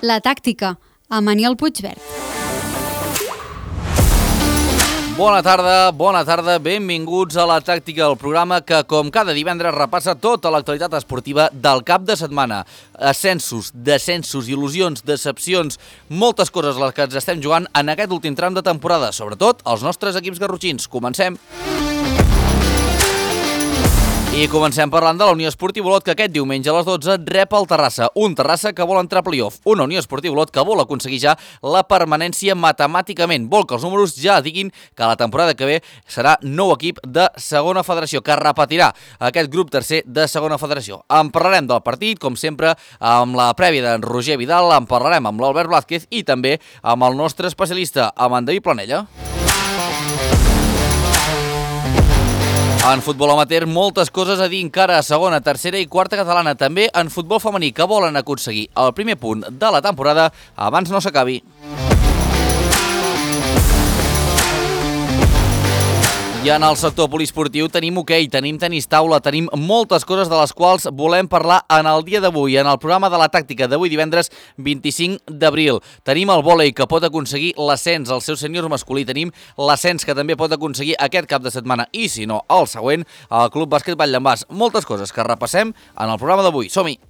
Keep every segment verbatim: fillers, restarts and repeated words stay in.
La tàctica, amb Aniel Puigverd. Bona tarda, bona tarda, benvinguts a La Tàctica, el programa que, com cada divendres, repassa tota l'actualitat esportiva del cap de setmana. Ascensos, descensos, il·lusions, decepcions, moltes coses les que ens estem jugant en aquest últim tram de temporada, sobretot els nostres equips garrotxins. Comencem! I comencem parlant de la Unió Esportiva Olot, que aquest diumenge a les dotze rep el Terrassa. Un Terrassa que vol entrar a playoff. Una Unió Esportiva Olot que vol aconseguir ja la permanència matemàticament. Vol que els números ja diguin que la temporada que ve serà nou equip de segona federació, que repetirà aquest grup tercer de segona federació. En parlarem del partit, com sempre, amb la prèvia d'en Roger Vidal, en parlarem amb l'Albert Blázquez i també amb el nostre especialista, amb en David Planella. En futbol amateur, moltes coses a dir encara a segona, tercera i quarta catalana. També en futbol femení, que volen aconseguir el primer punt de la temporada abans no s'acabi. I en el sector poliesportiu tenim hoquei, tenim tenis taula, tenim moltes coses de les quals volem parlar en el dia d'avui, en el programa de La Tàctica d'avui divendres vint-i-cinc d'abril. Tenim el vòlei, que pot aconseguir l'ascens al seu sènior masculí, tenim l'ascens que també pot aconseguir aquest cap de setmana i, si no, el següent, el Club Bàsquet Valldembàs. Moltes coses que repassem en el programa d'avui. Som-hi!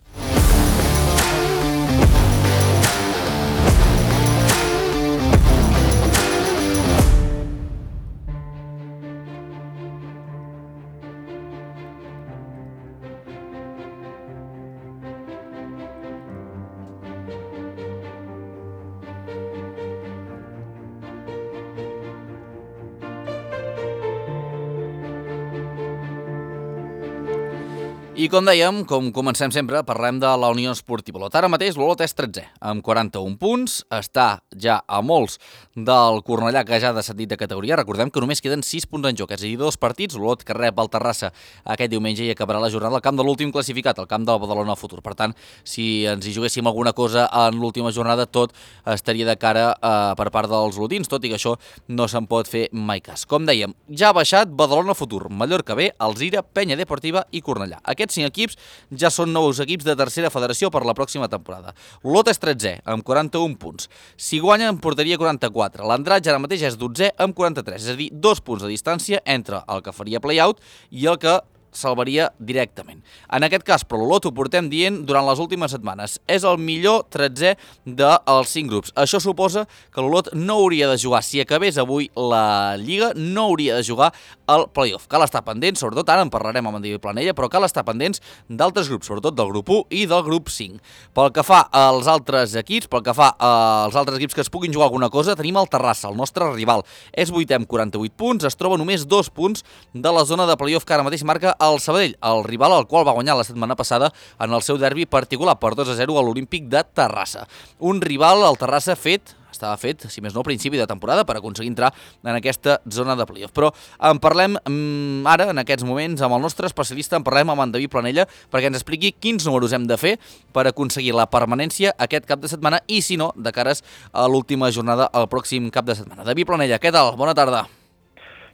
I com dèiem, com comencem sempre, parlem de la Unió Esportiva Olot. Ara mateix l'Olot és tretzè, amb quaranta-un punts, està ja a molts del Cornellà, que ja ha descendit de categoria. Recordem que només queden sis punts en joc, és a dir, dos partits. L'Olot que rep el Terrassa aquest diumenge i acabarà la jornada al camp de l'últim classificat, al camp del Badalona Futur. Per tant, si ens hi juguéssim alguna cosa en l'última jornada, tot estaria de cara eh, per part dels olotins, tot i que això no se'n pot fer mai cas. Com dèiem, ja ha baixat Badalona Futur, Mallorca B, Alzira, Penya Deportiva i Cornellà. Aquests cinc equips ja són nous equips de tercera federació per la pròxima temporada. L'Olot és tretzè, amb quaranta-un punts. Si guanya, en portaria quaranta-quatre. L'Andratx ara mateix és dotzè, amb quaranta-tres. És a dir, dos punts de distància entre el que faria play-out i el que salvaria directament. En aquest cas, però l'Olot ho portem dient durant les últimes setmanes. És el millor tretzè dels cinc grups. Això suposa que l'Olot no hauria de jugar, si acabés avui la Lliga, no hauria de jugar al play-off. Cal estar pendents, sobretot ara en parlarem amb en David Planella, però cal estar pendents d'altres grups, sobretot del grup u i del grup cinc. Pel que fa als altres equips, pel que fa als altres equips que es puguin jugar alguna cosa, tenim el Terrassa, el nostre rival. És vuitè amb quaranta-vuit punts, es troba només dos punts de la zona de play-off que ara mateix marca el Sabadell, el rival al qual va guanyar la setmana passada en el seu derbi particular per dos a zero a l'Olímpic de Terrassa. Un rival, el Terrassa, fet, estava fet, si més no, a principi de temporada per aconseguir entrar en aquesta zona de playoff. Però en parlem mm, ara, en aquests moments, amb el nostre especialista, en parlem amb en David Planella perquè ens expliqui quins números hem de fer per aconseguir la permanència aquest cap de setmana i, si no, de cares a l'última jornada el pròxim cap de setmana. David Planella, què tal? Bona tarda.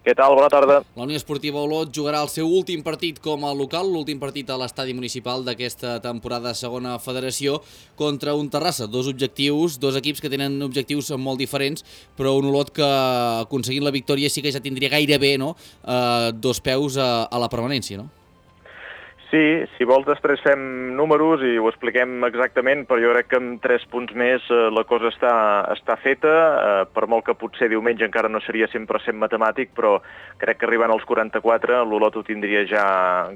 Què tal? Bona tarda. La Unió Esportiva Olot jugarà el seu últim partit com a local, l'últim partit a l'estadi municipal d'aquesta temporada segona federació contra un Terrassa. Dos objectius, dos equips que tenen objectius molt diferents, però un Olot que aconseguint la victòria sí que ja tindria gairebé no, eh, dos peus a, a la permanència, no? Sí, si vols després fem números i ho expliquem exactament, però jo crec que amb tres punts més eh, la cosa està, està feta, eh, per molt que potser diumenge encara no seria cent per cent matemàtic, però crec que arribant als quaranta-quatre l'Olot ho tindria ja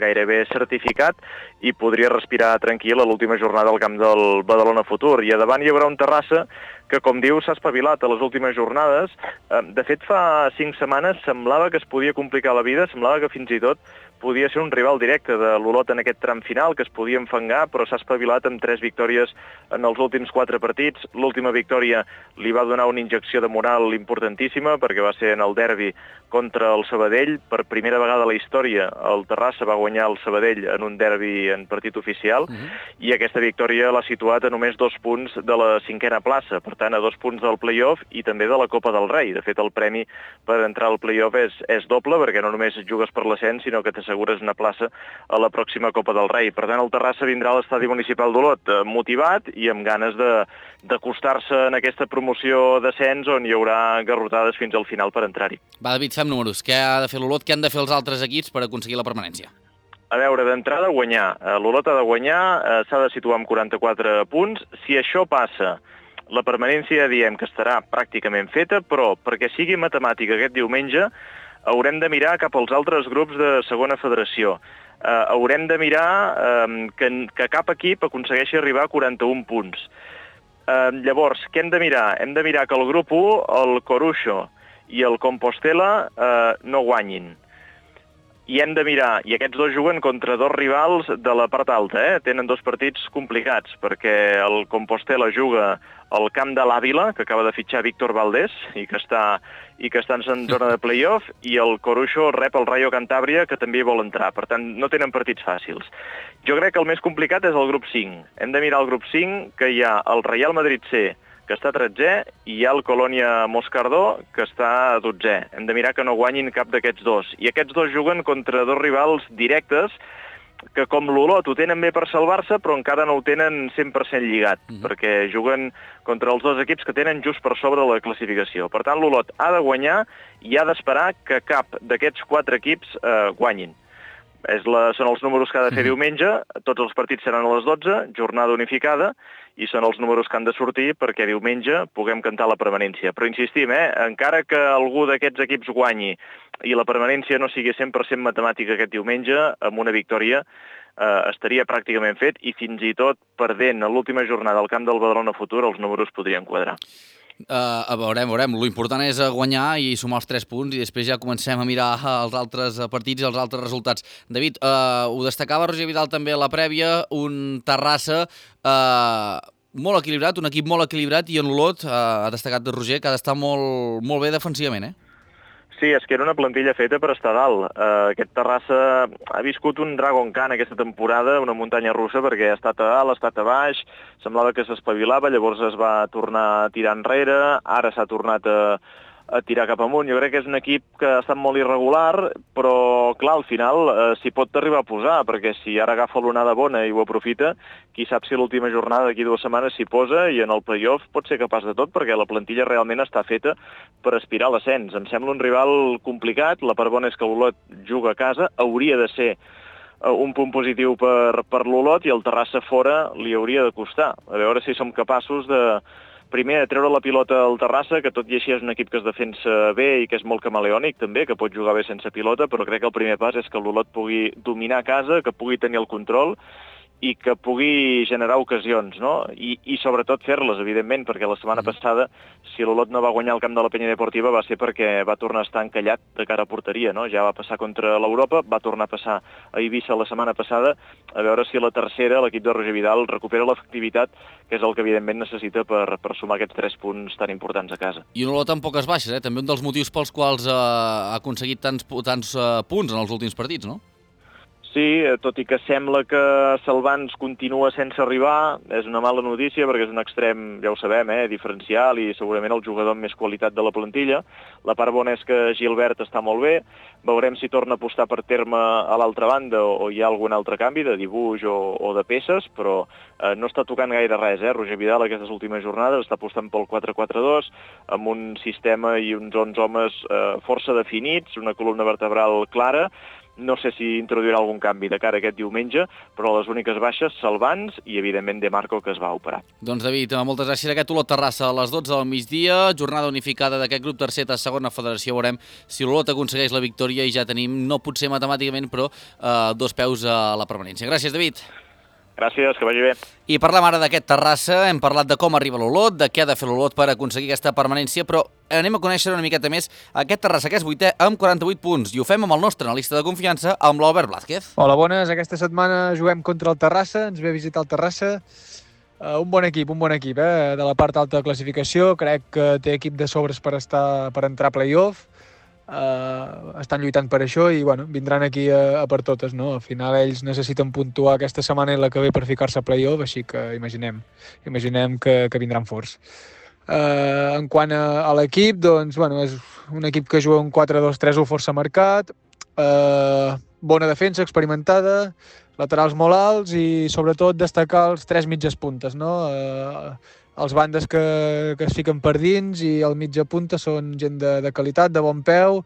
gairebé certificat i podria respirar tranquil a l'última jornada al camp del Badalona Futur. I a davant hi haurà un Terrassa que, com diu, s'ha espavilat a les últimes jornades. De fet, fa cinc setmanes semblava que es podia complicar la vida, semblava que fins i tot podia ser un rival directe de l'Olot en aquest tram final, que es podia enfangar, però s'ha espavilat amb tres victòries en els últims quatre partits. L'última victòria li va donar una injecció de moral importantíssima, perquè va ser en el derbi contra el Sabadell. Per primera vegada a la història, el Terrassa va guanyar el Sabadell en un derbi en partit oficial, uh-huh. i aquesta victòria l'ha situat a només dos punts de la cinquena plaça. Per per tant, a dos punts del play-off i també de la Copa del Rei. De fet, el premi per entrar al play-off és, és doble, perquè no només jugues per l'ascens, sinó que t'assegures una plaça a la pròxima Copa del Rei. Per tant, el Terrassa vindrà a l'estadi municipal d'Olot eh, motivat i amb ganes de d'acostar-se en aquesta promoció d'ascens on hi haurà garrotades fins al final per entrar-hi. Va, David, fem números. Què ha de fer l'Olot? Què han de fer els altres equips per aconseguir la permanència? A veure, d'entrada guanyar. L'Olot ha de guanyar, eh, s'ha de situar amb quaranta-quatre punts. Si això passa, la permanència diem que estarà pràcticament feta, però perquè sigui matemàtica aquest diumenge haurem de mirar cap als altres grups de segona federació. Eh, haurem de mirar eh, que, que cap equip aconsegueixi arribar a quaranta-un punts. Eh, llavors, què hem de mirar? Hem de mirar que el grup u, el Coruixo i el Compostela eh, no guanyin. I hem de mirar, i aquests dos juguen contra dos rivals de la part alta, eh? Tenen dos partits complicats, perquè el Compostela juga al camp de l'Àvila, que acaba de fitxar Víctor Valdés, i que està, i que està en zona de play-off, i el Coruixo rep el Rayo Cantàbria, que també hi vol entrar. Per tant, no tenen partits fàcils. Jo crec que el més complicat és el grup cinc. Hem de mirar el grup cinc, que hi ha el Real Madrid C, que està tretzè, i hi ha el Colònia Moscardó, que està dotzè. Hem de mirar que no guanyin cap d'aquests dos. I aquests dos juguen contra dos rivals directes, que com l'Olot ho tenen bé per salvar-se, però encara no ho tenen cent per cent lligat, mm-hmm. perquè juguen contra els dos equips que tenen just per sobre la classificació. Per tant, l'Olot ha de guanyar i ha d'esperar que cap d'aquests quatre equips eh, guanyin. És la, són els números que ha de fer diumenge, tots els partits seran a les dotze, jornada unificada, i són els números que han de sortir perquè diumenge puguem cantar la permanència. Però insistim, eh, encara que algú d'aquests equips guanyi i la permanència no sigui cent per cent matemàtica aquest diumenge, amb una victòria eh, estaria pràcticament fet i fins i tot perdent a l'última jornada al camp del Badalona Futur els números podrien quadrar. Uh, veurem, veurem. L'important és guanyar i sumar els tres punts i després ja comencem a mirar els altres partits i els altres resultats. David, uh, ho destacava Roger Vidal també a la prèvia, un Terrassa uh, molt equilibrat, un equip molt equilibrat, i en l'Olot uh, ha destacat Roger que ha d'estar molt, molt bé defensivament, eh? Sí, és que era una plantilla feta per estar dalt. Uh, aquest Terrassa ha viscut un Dragon Khan aquesta temporada, una muntanya russa, perquè ha estat a dalt, ha estat a baix, semblava que s'espavilava, llavors es va tornar a tirar enrere, ara s'ha tornat a, a tirar cap amunt. Jo crec que és un equip que ha estat molt irregular, però clar, al final eh, s'hi pot arribar a posar, perquè si ara agafa l'onada bona i ho aprofita, qui sap si l'última jornada d'aquí dues setmanes s'hi posa i en el play-off pot ser capaç de tot, perquè la plantilla realment està feta per aspirar a l'ascens. Em sembla un rival complicat, la part bona és que l'Olot juga a casa, hauria de ser un punt positiu per, per l'Olot, i el Terrassa fora li hauria de costar. A veure si som capaços de, primer, de treure la pilota al Terrassa, que tot i així és un equip que es defensa bé i que és molt camaleònic també, que pot jugar bé sense pilota, però crec que el primer pas és que l'Olot pugui dominar a casa, que pugui tenir el control i que pugui generar ocasions, no? I, i sobretot fer-les, evidentment, perquè la setmana passada, si l'Olot no va guanyar el camp de la Penya Deportiva, va ser perquè va tornar a estar encallat de cara a porteria, no? Ja va passar contra l'Europa, va tornar a passar a Eivissa la setmana passada, a veure si la tercera, l'equip de Roger Vidal, recupera l'efectivitat, que és el que evidentment necessita per, per sumar aquests tres punts tan importants a casa. I un Olot amb poques baixes, eh? També un dels motius pels quals eh, ha aconseguit tants, tants eh, punts en els últims partits, no? Sí, tot i que sembla que Salvans continua sense arribar, és una mala notícia perquè és un extrem, ja ho sabem, eh, diferencial i segurament el jugador amb més qualitat de la plantilla. La part bona és que Gilbert està molt bé, veurem si torna a apostar per terme a l'altra banda o, o hi ha algun altre canvi de dibuix o, o de peces, però eh, no està tocant gaire res, eh? Roger Vidal aquestes últimes jornades està apostant pel quatre quatre dos, amb un sistema i uns onze homes eh, força definits, una columna vertebral clara. No sé si introduirà algun canvi de cara a aquest diumenge, però les úniques baixes, Salvans i, evidentment, De Marco, que es va operar. Doncs, David, moltes gràcies. Aquest Olot Terrassa a les dotze del migdia, jornada unificada d'aquest grup tercer de segona federació. Veurem si l'Olot aconsegueix la victòria i ja tenim, no potser matemàticament, però eh, dos peus a la permanència. Gràcies, David. Gràcies, que vagi bé. I parlem ara d'aquest Terrassa, hem parlat de com arriba l'Olot, de què ha de fer l'Olot per aconseguir aquesta permanència, però anem a conèixer una miqueta més aquest Terrassa, que és vuitè amb quaranta-vuit punts, i ho fem amb el nostre analista de confiança, amb l'Albert Blázquez. Hola, bones. Aquesta setmana juguem contra el Terrassa, ens ve a visitar el Terrassa. Uh, un bon equip, un bon equip, eh? De la part alta de classificació, crec que té equip de sobres per, estar, per entrar a play-off. Uh, estan lluitant per això i bueno, vindran aquí a, a per totes, no? Al final ells necessiten puntuar aquesta setmana i la que ve per ficar-se a play-off, així que imaginem, imaginem que, que vindran forts. Eh, en quant a, a l'equip, doncs, bueno, és un equip que juga un quatre dos tres u força marcat, eh, bona defensa, experimentada, laterals molt alts i sobretot destacar els tres mitges puntes, no? Eh, els bandes que, que es fiquen per dins i el mitja punta són gent de, de qualitat, de bon peu,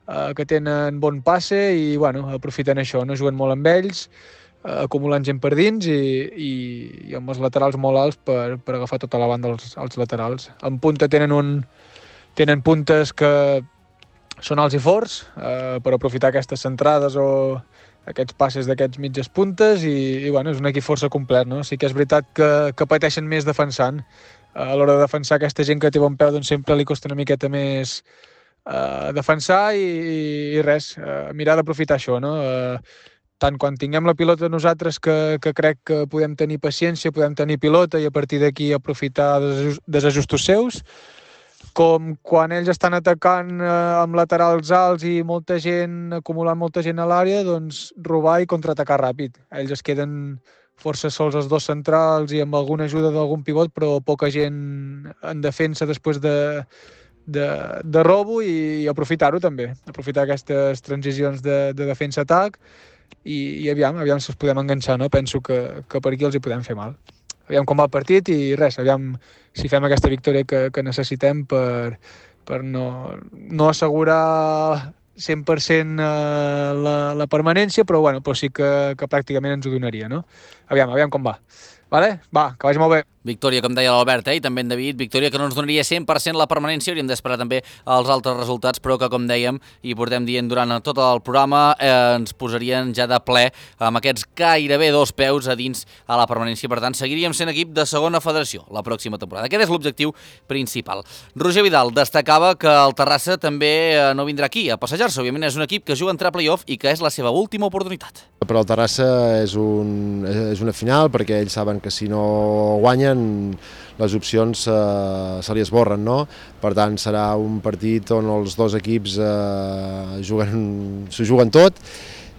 eh, que tenen bon passe i bueno, aprofiten això, no juguen molt amb ells, eh, acumulant gent per dins i, i, i amb els laterals molt alts per, per agafar tota la banda als, als laterals. En punta tenen, un, tenen puntes que són alts i forts eh, per aprofitar aquestes centrades o aquests passes d'aquests mitges puntes i, i bueno, és un equip força complet, no? Sí que és veritat que, que pateixen més defensant. A l'hora de defensar aquesta gent que té bon peu doncs sempre li costa una miqueta més eh, defensar i, i res, eh, mirar d'aprofitar això, no? Eh, tant quan tinguem la pilota nosaltres que, que crec que podem tenir paciència, podem tenir pilota i a partir d'aquí aprofitar desajustos seus, com quan ells estan atacant eh, amb laterals alts i molta gent, acumulant molta gent a l'àrea, doncs robar i contraatacar ràpid. Ells es queden força sols els dos centrals i amb alguna ajuda d'algun pivot, però poca gent en defensa després de, de, de robo i, i aprofitar-ho també, aprofitar aquestes transicions de, de defensa-atac i, i aviam, aviam si els podem enganxar, no? Penso que, que per aquí els hi podem fer mal. Aviam com va el partit i res, aviam si fem aquesta victòria que, que necessitem per, per no, no assegurar cent per cent la, la permanència, però, bueno, però sí que, que pràcticament ens ho donaria, no? Aviam, aviam com va. Vale? Va, que vagi molt bé. Victòria, com deia l'Albert, eh? I també en David, victòria que no ens donaria cent per cent la permanència, hauríem d'esperar també els altres resultats, però que, com dèiem, i portem dient durant tot el programa, eh, ens posarien ja de ple amb aquests gairebé dos peus a dins a la permanència. Per tant, seguiríem sent equip de segona federació la pròxima temporada. Aquest és l'objectiu principal. Roger Vidal destacava que el Terrassa també no vindrà aquí a passejar-se. Òbviament és un equip que juga a entrar a play-off i que és la seva última oportunitat. Per al Terrassa és, un, és una final perquè ells saben que si no guanyen les opcions eh, se li esborren, no? Per tant, serà un partit on els dos equips eh, juguen, s'ho juguen tot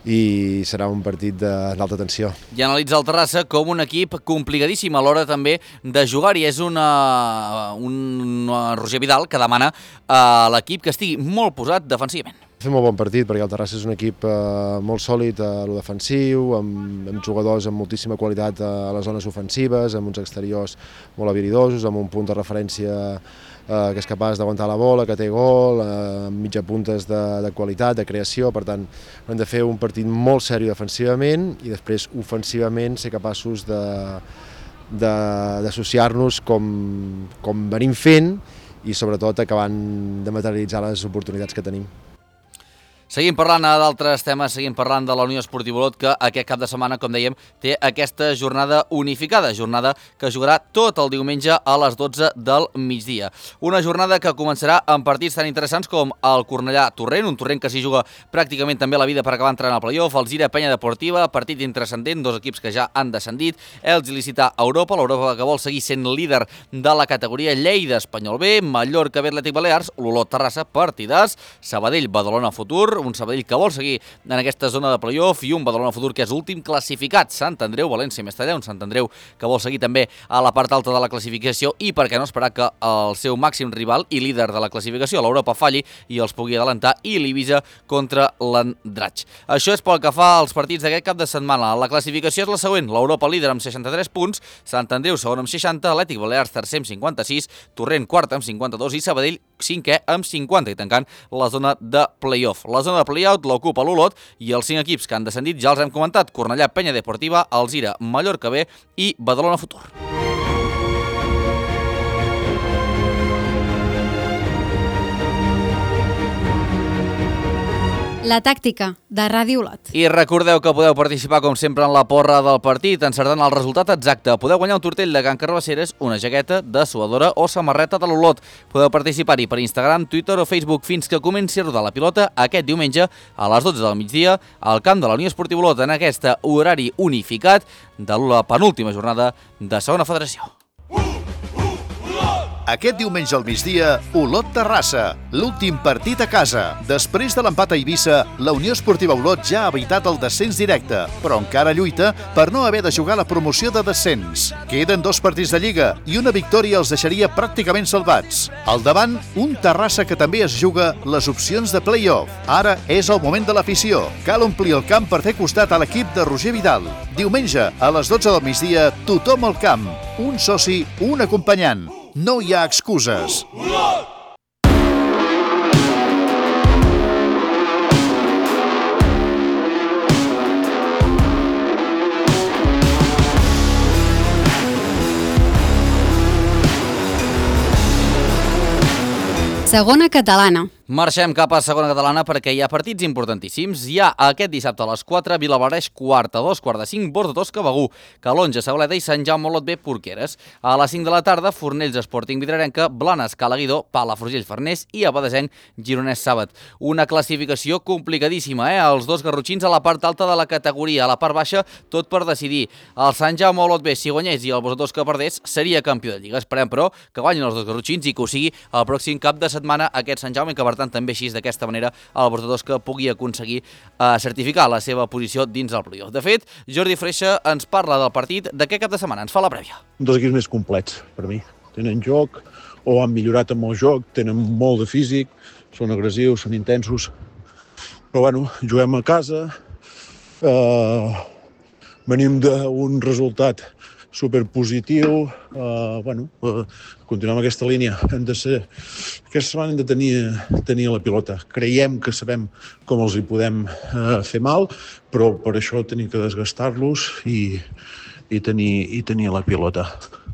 i serà un partit d'alta tensió. I analitza el Terrassa com un equip complicadíssim a l'hora també de jugar i és una, un Roger Vidal que demana a l'equip que estigui molt posat defensivament. Fem un bon partit perquè el Terrassa és un equip eh, molt sòlid a lo defensiu, amb, amb jugadors amb moltíssima qualitat a les zones ofensives, amb uns exteriors molt habilidosos, amb un punt de referència eh, que és capaç d'aguantar la bola, que té gol, eh, amb mitja puntes de, de qualitat, de creació. Per tant, hem de fer un partit molt seriós defensivament i després ofensivament ser capaços de, de, d'associar-nos com, com venim fent i sobretot acabant de materialitzar les oportunitats que tenim. Seguim parlant d'altres temes, seguim parlant de la Unió Esportiva Olot, que aquest cap de setmana, com dèiem, té aquesta jornada unificada, jornada que jugarà tot el diumenge a les dotze del migdia. Una jornada que començarà amb partits tan interessants com el Cornellà-Torrent, un Torrent que s'hi juga pràcticament també la vida per acabar entrant al play-off, el Zira-Penya Deportiva, partit intrascendent, dos equips que ja han descendit, els Il·licità Europa, l'Europa que vol seguir sent líder de la categoria, Lleida-Espanyol B, Mallorca-B Atlètic Balears, l'Olot-Terrassa, partidars, Sabadell-Badalona Futur, un Sabadell que vol seguir en aquesta zona de play-off i un Badalona Futur que és últim classificat, Sant Andreu, València, Mestalla, un Sant Andreu que vol seguir també a la part alta de la classificació i per què no esperar que el seu màxim rival i líder de la classificació, l'Europa, falli i els pugui adelantar, i l'Ibiza contra l'Andratx. Això és pel que fa als partits d'aquest cap de setmana. La classificació és la següent, l'Europa líder amb seixanta-tres punts, Sant Andreu segon amb seixanta, Atlètic Balears tercer amb cinquanta-sis, Torrent quart amb cinquanta-dos i Sabadell cinquè amb cinquanta, i tancant la zona de play-off. La zona de play-out l'ocupa l'Olot i els cinc equips que han descendit ja els hem comentat: Cornellà, Penya Deportiva, Alzira, Mallorca B i Badalona Futur. La tàctica de Ràdio Olot. I recordeu que podeu participar, com sempre, en la porra del partit, encertant el resultat exacte. Podeu guanyar un tortell de Can Carbasseres, una jaqueta, dessuadora o samarreta de l'Olot. Podeu participar-hi per Instagram, Twitter o Facebook fins que comenci a rodar la pilota aquest diumenge a les dotze del migdia al camp de la Unió Esportiva Olot en aquest horari unificat de la penúltima jornada de segona federació. Aquest diumenge al migdia, Olot Terrassa, l'últim partit a casa. Després de l'empat a Eivissa, la Unió Esportiva Olot ja ha evitat el descens directe, però encara lluita per no haver de jugar la promoció de descens. Queden dos partits de Lliga i una victòria els deixaria pràcticament salvats. Al davant, un Terrassa que també es juga les opcions de play-off. Ara és el moment de l'afició. Cal omplir el camp per fer costat a l'equip de Roger Vidal. Diumenge, a les dotze del migdia, tothom al camp. Un soci, un acompanyant. No hi ha excuses. Segona catalana. Marxem cap a segona catalana perquè hi ha partits importantíssims. Hi ha aquest dissabte a les quatre, Vilablareix, quart a dos, quart de cinc, Borja Tosca, Begur, Calonja, Sauleda i Sant Jaume Olot B, Porqueres. A les cinc de la tarda, Fornells, Sporting Vidrarenca, Blanes, Calaguidó, Palafrugell, Farners i Abadesenc, Gironès, Sàbat. Una classificació complicadíssima, eh? Els dos garrotxins a la part alta de la categoria, a la part baixa, tot per decidir. El Sant Jaume Olot B, si guanyés i el Borja Tosca perdés, seria campió de Lliga. Esperem, però, que guanyin els dos garrotxins i que ho sigui el pròxim cap de setmana aquest Sant Jaume, que per tant també així d'aquesta manera el Borja Tosca pugui aconseguir eh, certificar la seva posició dins del play-off. De fet, Jordi Freixa ens parla del partit d'aquest cap de setmana, ens fa la prèvia. Un dels equips més complets per mi. Tenen joc, o han millorat amb el joc, tenen molt de físic, són agressius, són intensos, però bueno, juguem a casa, eh, venim d'un resultat superpositiu, eh, bueno, eh, continuem amb aquesta línia. Hem de ser, aquesta setmana hem de tenir, tenir la pilota. Creiem que sabem com els hi podem eh, fer mal, però per això tenim que desgastar-los i, i, tenir, i tenir la pilota.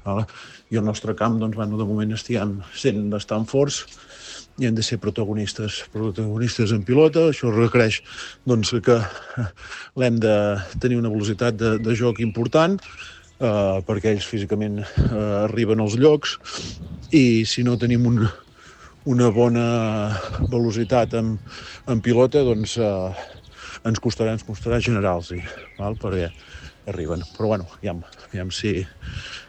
Vale? I el nostre camp, doncs, bueno, de moment estem sent bastant forts i hem de ser protagonistes, protagonistes en pilota. Això requereix doncs, que l'hem de tenir una velocitat de, de joc important, Uh, perquè ells físicament uh, arriben als llocs i si no tenim un, una bona velocitat en, en pilota, doncs uh, ens costarà, ens costarà generar-los, val? Perquè arriben. Però bueno, ja, ja si,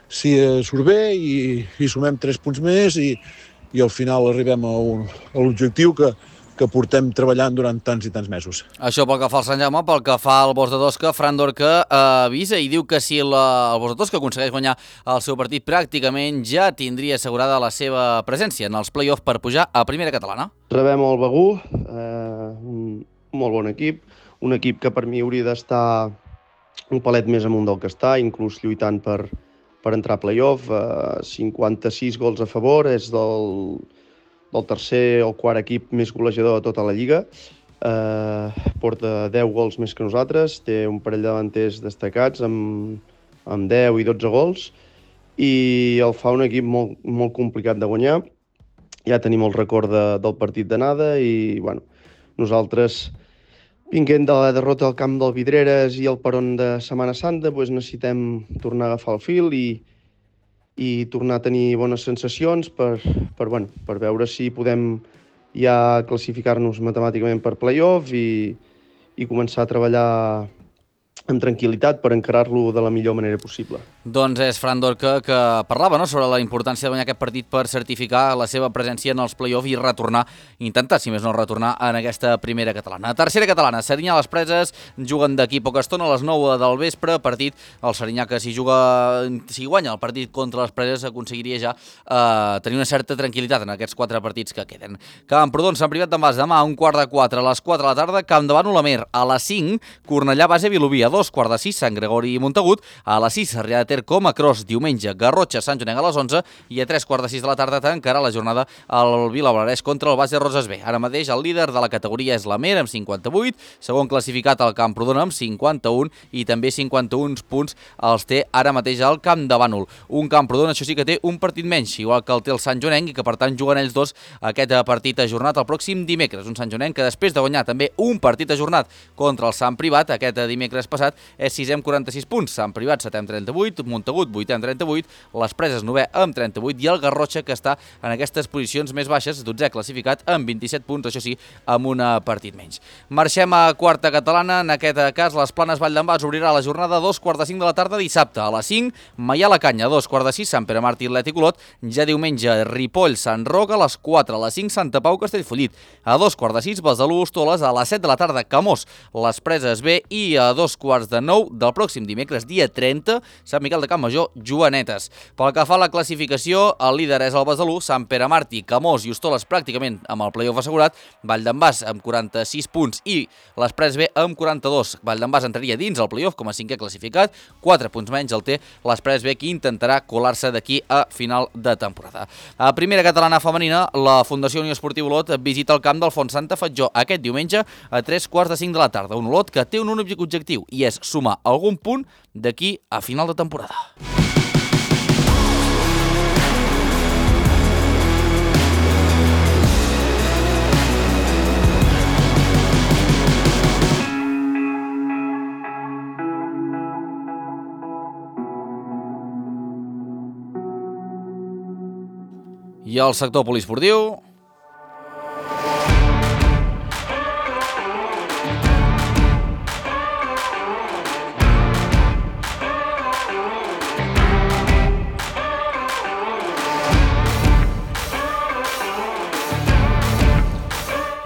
si surt bé i, i sumem tres punts més i, i al final arribem a, un, a l'objectiu que que portem treballant durant tants i tants mesos. Això pel que fa al Sant Jaume, pel que fa al Borja Tosca, Fran Dorca eh, avisa i diu que si la, el Borja Tosca aconsegueix guanyar el seu partit, pràcticament ja tindria assegurada la seva presència en els play-off per pujar a primera catalana. Rebem el Begur, eh, un molt bon equip, un equip que per mi hauria d'estar un palet més amunt del que està, inclús lluitant per, per entrar a play-off, eh, cinquanta-sis gols a favor, és del... del tercer o quart equip més golejador de tota la Lliga. Eh, porta deu gols més que nosaltres, té un parell de davanters destacats amb, amb deu i dotze gols i el fa un equip molt, molt complicat de guanyar. Ja tenim el record de, del partit d'anada i bueno, nosaltres, vinguent de la derrota al camp del Vidreres i el peron de Setmana Santa, doncs necessitem tornar a agafar el fil i i tornar a tenir bones sensacions per, per, bueno, per veure si podem ja classificar-nos matemàticament per play-off i, i començar a treballar amb tranquil·litat per encarar-lo de la millor manera possible. Doncs és Fran Dorca que parlava, no?, sobre la importància de guanyar aquest partit per certificar la seva presència en els play-off i retornar, intentar, si més no, retornar en aquesta primera catalana. Tercera catalana, Serinyà les Preses, juguen d'aquí poca estona a les nou del vespre, partit, el Serinyà que si juga, si guanya el partit contra les Preses aconseguiria ja eh, tenir una certa tranquil·litat en aquests quatre partits que queden. Camprodon, Sant Privat d'en Bas, demà un quart de quatre a les quatre de la tarda, Camp de Bànol, Amer, a les cinc, Cornellà, Base, Vilobí, a dos quarts de sis, Sant Gregori i Montagut, a les sis, Sarrià de Ter, com a Cros, diumenge, Garrotxa, Sant Joanenc a les onze i a tres quarts de sis de la tarda tancarà la jornada al Vilablareix contra el Base Roses B. Ara mateix el líder de la categoria és l'Amer amb cinquanta-vuit, segon classificat el Camprodon amb cinquanta-un i també cinquanta-un punts els té ara mateix el Camp de Bànol. Un Camprodon, això sí que té un partit menys, igual que el té el Sant Joanenc i que per tant juguen ells dos aquest partit ajornat el pròxim dimecres. Un Sant Joanenc que després de guanyar també un partit ajornat contra el Sant Privat aquest dimecres passat passat és sisè amb quaranta-sis punts, Sant Privat setè amb trenta-vuit, Montagut vuitè amb trenta-vuit, les Preses novè amb trenta-vuit i el Garrotxa, que està en aquestes posicions més baixes, dotzè classificat amb vint-i-set punts, això sí, amb un partit menys. Marxem a quarta catalana, en aquest cas les Planes Vall d'en Bas obrirà la jornada a dos quarts de cinc de la tarda dissabte, a les cinc Maià la Canya, a dos quarts de sis Sant Pere Martí Atlètic Olot, ja diumenge Ripoll Sant Roc, a les quatre, a les cinc Santa Pau Castellfollit, a dos quarts de sis Besalú Hostoles, a les set de la tarda Camós, les Preses B i a dos quarts de nou del pròxim dimecres dia trenta Sant Miquel de Campmajor Joanetes. Pel que fa a la classificació, el líder és el Besalú, Sant Pere Martí, Camós i Hostoles pràcticament amb el play-off assegurat, Vall d'en Bas amb quaranta-sis punts i les Preses B amb quaranta-dos. Vall d'en Bas entraria dins el play-off com a cinquè classificat, quatre punts menys el té les Preses B, que intentarà colar-se d'aquí a final de temporada. A primera catalana femenina, la Fundació Unió Esportiva Olot visita el camp del Font Santa Fatjó aquest diumenge a tres quarts de cinc de la tarda. Un Olot que té un únic objectiu i és sumar algun punt d'aquí a final de temporada. I el sector poliesportiu...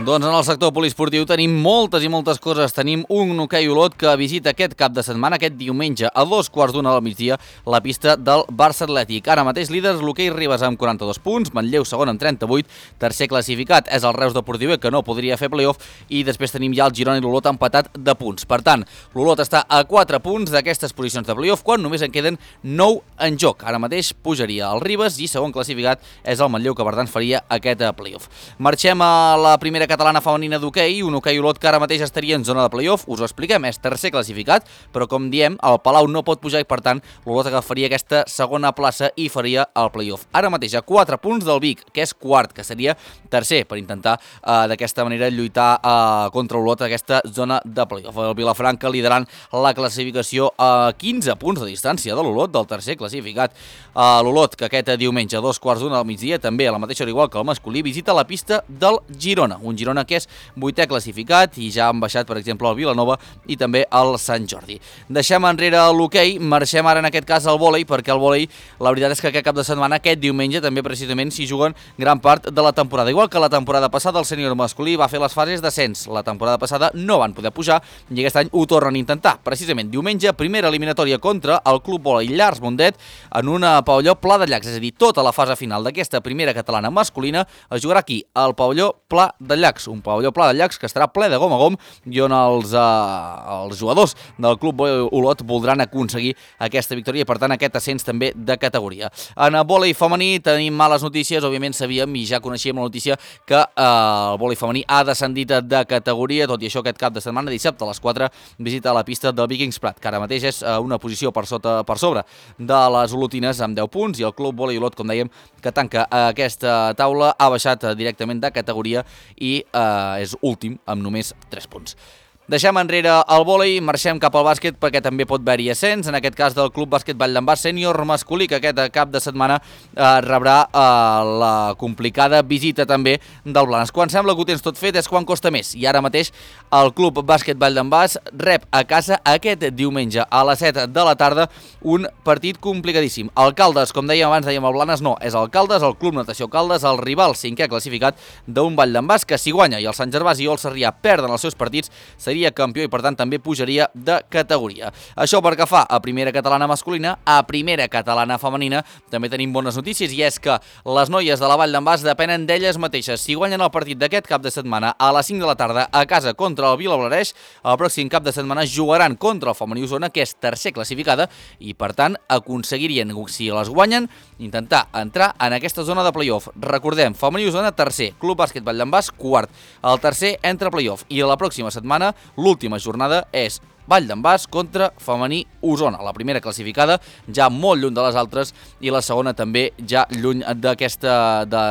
Doncs en el sector poliesportiu tenim moltes i moltes coses. Tenim un hoquei Olot que visita aquest cap de setmana, aquest diumenge, a dos quarts d'una del migdia, la pista del Barça Atlètic. Ara mateix líders l'hoquei Ribes amb quaranta-dos punts, Manlleu segon amb trenta-vuit, tercer classificat és el Reus Deportiu, que no podria fer playoff, i després tenim ja el Girona i l'Olot empatat de punts. Per tant, l'Olot està a quatre punts d'aquestes posicions de playoff, quan només en queden nou en joc. Ara mateix pujaria el Ribes i segon classificat és el Manlleu, que per tant faria aquest playoff. Marxem a la primera catalana femenina d'hoquei, un hoquei Olot que ara mateix estaria en zona de playoff, us ho expliquem, és tercer classificat, però com diem, el Palau no pot pujar i per tant l'Olot agafaria aquesta segona plaça i faria el playoff. Ara mateix a quatre punts del Vic, que és quart, que seria tercer, per intentar eh, d'aquesta manera lluitar eh, contra l'Olot aquesta zona de playoff. El Vilafranca liderant la classificació a quinze punts de distància de l'Olot, del tercer classificat. Eh, L'Olot, que aquest diumenge a dos quarts d'una del migdia, també a la mateixa hora igual que el masculí, visita la pista del Girona, un Girona que és vuitè classificat i ja han baixat, per exemple, el Vilanova i també el Sant Jordi. Deixem enrere l'hoquei, marxem ara en aquest cas al vòlei, perquè el vòlei, la veritat és que aquest cap de setmana, aquest diumenge, també precisament s'hi juguen gran part de la temporada. Igual que la temporada passada, el sènior masculí va fer les fases d'ascens. La temporada passada no van poder pujar i aquest any ho tornen a intentar. Precisament diumenge, primera eliminatòria contra el Club Vòlei Llars Mundet en una pavelló Pla de Llacs, és a dir, tota la fase final d'aquesta primera catalana masculina es jugarà aquí, al pavelló Pla de Llacs, un pavelló Pla de Llacs que estarà ple de gom a gom i on els, eh, els jugadors del Club Vòlei Olot voldran aconseguir aquesta victòria i per tant aquest ascens també de categoria. En el vòlei femení tenim males notícies, òbviament sabíem i ja coneixíem la notícia que eh, el vòlei femení ha descendit de categoria, tot i això aquest cap de setmana, dissabte a les quatre, visita la pista del Vikings Prat, que ara mateix és eh, una posició per sota per sobre de les olotines amb deu punts i el Club Vòlei Olot, com dèiem, que tanca aquesta taula, ha baixat directament de categoria i eh, és últim amb només tres punts. Deixem enrere el vòlei, marxem cap al bàsquet perquè també pot haver-hi ascens, en aquest cas del Club Bàsquet Vall d'en Bas sènior masculí, que aquest cap de setmana eh, rebrà eh, la complicada visita també del Blanes. Quan sembla que ho tens tot fet és quan costa més, i ara mateix el Club Bàsquet Vall d'en Bas rep a casa aquest diumenge a les set de la tarda un partit complicadíssim. El Caldes, com dèiem abans, dèiem el Blanes, no, és el Caldes, el Club Natació Caldes, el rival cinquè classificat d'un Vall d'en Bas, que si guanya i el Sant Gervasi o el Sarrià perden els seus partits, seria campió i per tant també pujaria de categoria. Això pel que fa a primera catalana masculina. A primera catalana femenina també tenim bones notícies, i és que les noies de la Vall d'en Bas depenen d'elles mateixes. Si guanyen el partit d'aquest cap de setmana a les cinc de la tarda a casa contra el Vilablareix, el pròxim cap de setmana jugaran contra el Femení Osona, que és tercer classificada, i per tant aconseguirien, si les guanyen, intentar entrar en aquesta zona de playoff. Recordem, Femení Osona tercer, Club Bàsquet Vall d'en Bas quart. El tercer entra a playoff i la pròxima setmana l'última jornada és Vall d'en Bas contra femení Osona. La primera classificada ja molt lluny de les altres i la segona també ja lluny d'aquesta de,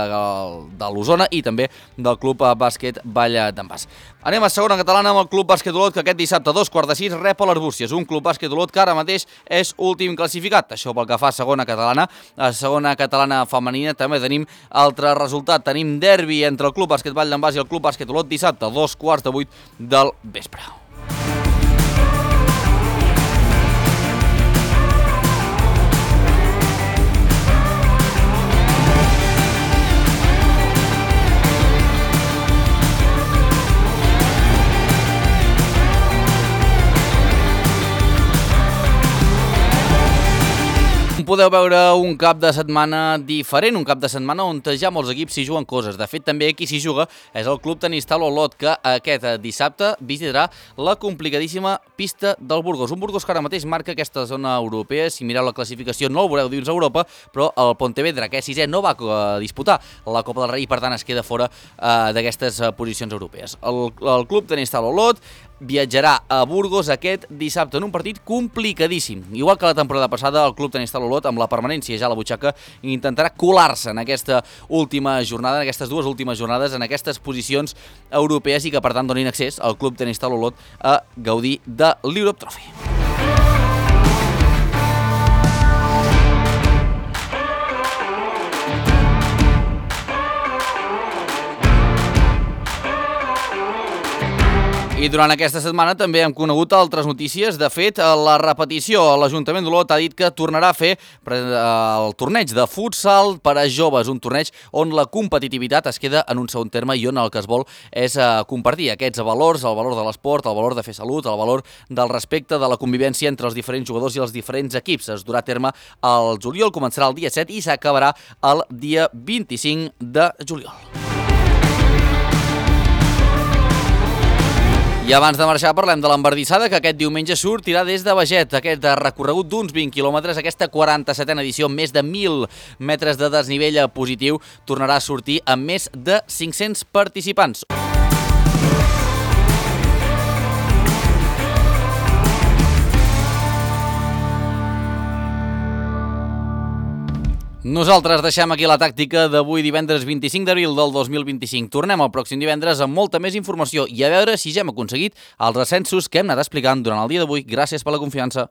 de l'Osona i també del Club Bàsquet Vall d'en Bas. Anem a segona catalana amb el Club Bàsquet Olot, que aquest dissabte a dos quarts de sis rep a l'Arbúcies, un Club Bàsquet Olot que ara mateix és últim classificat. Això pel que fa a segona catalana. A segona catalana femenina també tenim altre resultat. Tenim derbi entre el Club Bàsquet Vall d'en Bas i el Club Bàsquet Olot dissabte a dos quarts de vuit del vespre. Podeu veure un cap de setmana diferent, un cap de setmana on ja molts equips s'hi juguen coses. De fet, també qui s'hi juga és el Club Tenistal Olot, que aquest dissabte visitarà la complicadíssima pista del Burgos. Un Burgos que ara mateix marca aquesta zona europea. Si mireu la classificació no el veureu dins Europa, però el Pontevedra, que és sisè, no va disputar la Copa del Rei i per tant es queda fora eh, d'aquestes posicions europees. El, el Club Tenistal Olot viatjarà a Burgos aquest dissabte en un partit complicadíssim. Igual que la temporada passada, el Club Tenistal Olot, amb la permanència ja a la butxaca, intentarà colar-se en aquesta última jornada, en aquestes dues últimes jornades, en aquestes posicions europees i que, per tant, donin accés al Club Tenistal Olot a gaudir de l'Europe Trophy. I durant aquesta setmana també hem conegut altres notícies. De fet, la repetició, l'Ajuntament d'Olot ha dit que tornarà a fer el torneig de futsal per a joves, un torneig on la competitivitat es queda en un segon terme i on el que es vol és compartir aquests valors, el valor de l'esport, el valor de fer salut, el valor del respecte, de la convivència entre els diferents jugadors i els diferents equips. Es durà a terme el juliol, començarà el dia set i s'acabarà el dia vint-i-cinc de juliol. I abans de marxar parlem de l'Embardissada, que aquest diumenge sortirà des de Beget. Aquest recorregut d'uns vint quilòmetres, aquesta quaranta-setena edició, més de mil metres de desnivell positiu, tornarà a sortir amb més de cinc-cents participants. Nosaltres deixem aquí la tàctica d'avui divendres vint-i-cinc d'abril del dos mil vint-i-cinc. Tornem el pròxim divendres amb molta més informació i a veure si ja hem aconseguit els ascensos que hem anat explicant durant el dia d'avui. Gràcies per la confiança.